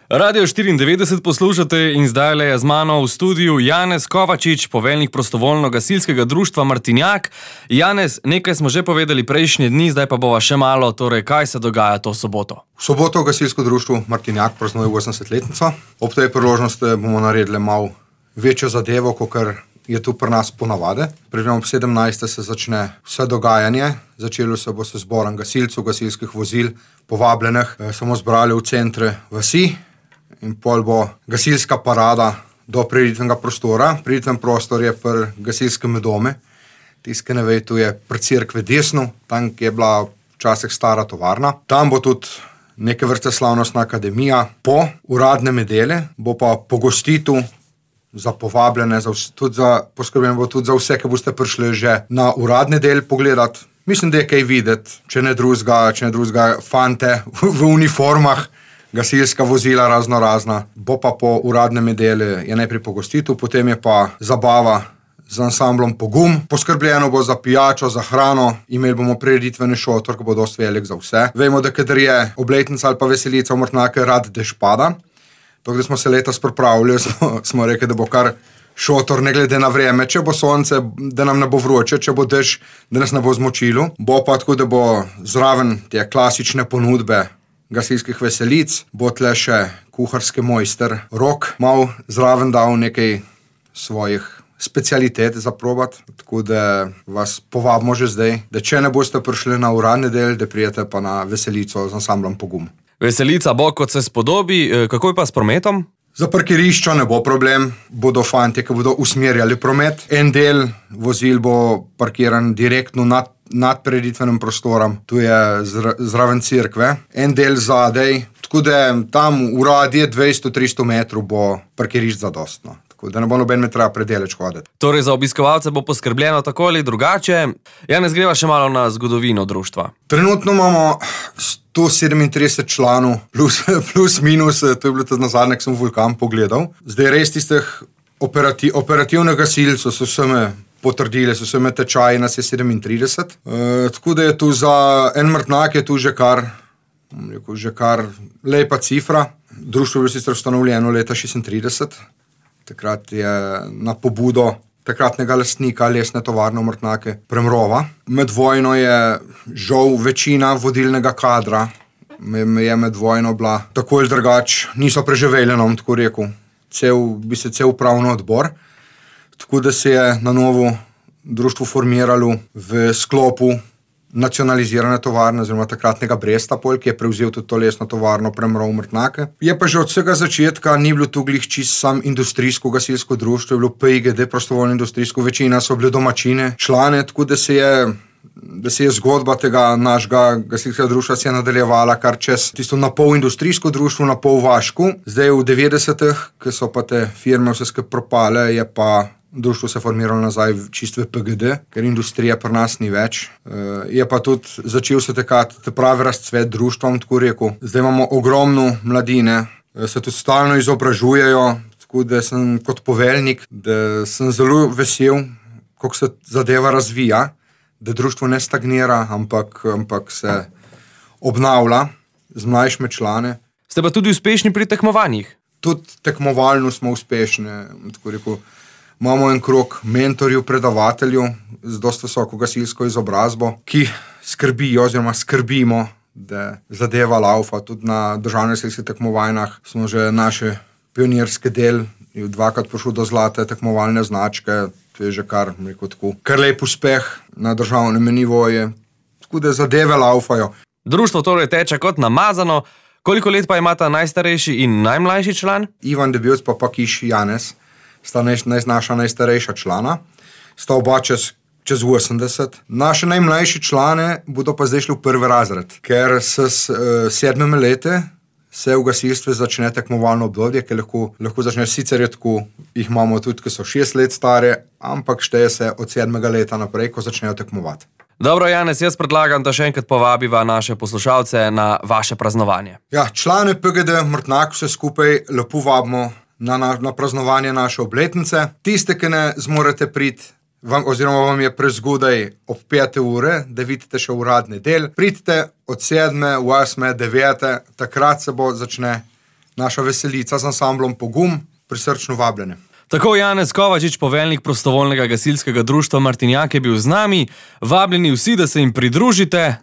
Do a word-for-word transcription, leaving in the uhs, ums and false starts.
Radio štiriindevetdeset poslušate in zdajle je z mano v studiu Janez Kovačič, poveljnik prostovoljno-gasilskega društva Martinjak. Janez, nekaj smo že povedali prejšnje dni, zdaj pa bova še malo, torej kaj se dogaja to soboto? V soboto v gasilsko društvu Martinjak praznuje osemdesetletnico. Ob tej priložnosti bomo naredili malo večjo zadevo, kakor je tu pri nas ponavade. Predvidoma ob sedemnajstih se začne vse dogajanje. Začelo se bo se zborom gasilcev, gasilskih vozil, povabljenih. Samo zbrali v centre vasi. In pol bo gasilska parada do prireditvenega prostora. Prireditven prostor je pri gasilskem dome. Tisti, ki ne ve, tu je pri cerkve desno, tam je bila včasih stara tovarna. Tam bo tudi neke vrste slavnostna akademija. Po uradne nedelje bo pa pogostitev za povabljene, za vse, tudi za, poskrbljeno bo tudi za vse, ki boste prišli že na uradni del pogledati. Mislim, da je kaj videti, če ne drugega, če ne drugega fante v, v uniformah, gasilska vozila razno razna. Bo pa po uradnem nedelju je najprej pogostitev, potem je pa zabava z ansamblom Pogum. Poskrbljeno bo za pijačo, za hrano, imeli bomo prireditveni šotor, ki bo dosti velik za vse. Vemo, da kadar je obletnica ali pa veselica v Martinjaku, rad dež pada. Tako da smo se letos pripravili, smo, smo rekli, da bo kar šotor ne glede na vreme, če bo sonce, da nam ne bo vroče, če bo dež, da nas ne bo zmočilo. Bo pa tako, da bo zraven te klasične ponudbe gasilskih veselic, bo tle še kuharski mojster Rok mal zraven dal nekaj svojih specialitet za probat, tako da vas povabimo že zdaj, da če ne boste prišli na uradni del, da prijete pa na veselico z ansamblom Pogum. Veselica bo, kot se spodobi, kako je pa s prometom? Za parkiriščo ne bo problem, bodo fantje, ki bodo usmerjali promet. En del vozil bo parkiran direktno nad nad prireditvenim prostorom, tu je zraven cerkve, en del zadej, tako da tam v radije dvesto do tristo metrov bo parkirišč zadostno, tako da ne bo noben me treba predeleč hoditi. Torej za obiskovalce bo poskrbljeno tako ali drugače. Janez, greva še malo na zgodovino društva. Trenutno imamo sto sedemintrideset članov, plus, plus minus, to je bilo tudi nazadnje, ko sem Vulkan pogledal. Zdaj res tistih operati, operativnih gasilcev so vseme potrdili, so se me tečaji, nas je sedemintrideset. E, tako da je tu za en Martinjak je tu že kar, rekel, že kar lepa cifra. Društvo je bilo sicer ustanovljeno leta šestintrideset. Takrat je na pobudo takratnega lastnika lesne tovarne v Martinjaku Premrova. Med vojno je žal večina vodilnega kadra, je med vojno bila tako ali drugač, niso preživeli, nam tako rekel, cel, bi se cel upravni odbor. Tako da se je na novo društvo formiralo v sklopu nacionalizirane tovarne, oziroma takratnega Bresta, ki je prevzel tudi to lesno tovarno Premrov v Martinjaku. Je pa že od vsega začetka ni bilo tu glih čisto sam industrijsko gasilsko društvo, je bilo P I G D, prostovoljno industrijsko, večina so bile domačine, člane, tako da se je da se je zgodba tega našega gasilskega društva se je nadaljevala kar čez tisto na pol industrijsko društvo, na pol vaško. Zdaj v devetdesetih, ko so pa te firme vse skupaj propale, je pa društvo se formiralo nazaj čisto v P G D, ker industrija pri nas ni več. Je pa tudi začel se tekati pravi razcvet društvom, tako rekel. Zdaj imamo ogromno mladine, se tudi stalno izobražujejo, tako da sem kot poveljnik, da sem zelo vesel, kako se zadeva razvija, da društvo ne stagnira, ampak, ampak se obnavlja z mlajšimi člane. Ste pa tudi uspešni pri tekmovanjih? Tudi tekmovalno smo uspešni, tako rekel. Imamo en krog mentorjev, predavateljev z dosti visoko gasilsko izobrazbo, ki skrbijo oziroma skrbimo, da zadeva laufa. Tudi na državnih gasilskih tekmovanjih smo že naše pionirske del, dvakrat prišel do zlate tekmovalne značke, to je že kar, rekel tako, kar lep uspeh na državnem nivoju, tako da zadeve laufajo. Društvo torej teče kot namazano. Koliko let pa imata najstarejši in najmlajši član? Ivan Debevc pa pa Kiš Janez sta naj, naša najstarejša člana, sta oba čez, čez osemdeset. Naše najmlajši člane bodo pa zdaj šli v prvi razred, ker s uh, sedmimi leti se v gasilstvu začne tekmovalno obdobje, ki lahko, lahko začne sicer je tako, jih imamo tudi, ki so šest let stare, ampak šteje se od sedmega leta naprej, ko začnejo tekmovati. Dobro, Janez, jaz predlagam, da še enkrat povabiva naše poslušalce na vaše praznovanje. Ja, člane P G D Martinjak vse skupaj lepo vabimo na, na, na praznovanje naše obletnice. Tiste, ki ne zmorete priti, vam, oziroma vam je prezgodaj ob pete ure, da vidite še uradni del, pridite od sedme, osme, devete, takrat se bo začne naša veselica z ansamblom Pogum, prisrčno vabljene. Tako Janez Kovačič, poveljnik prostovoljnega gasilskega društva Martinjak, je bil z nami. Vabljeni vsi, da se jim pridružite.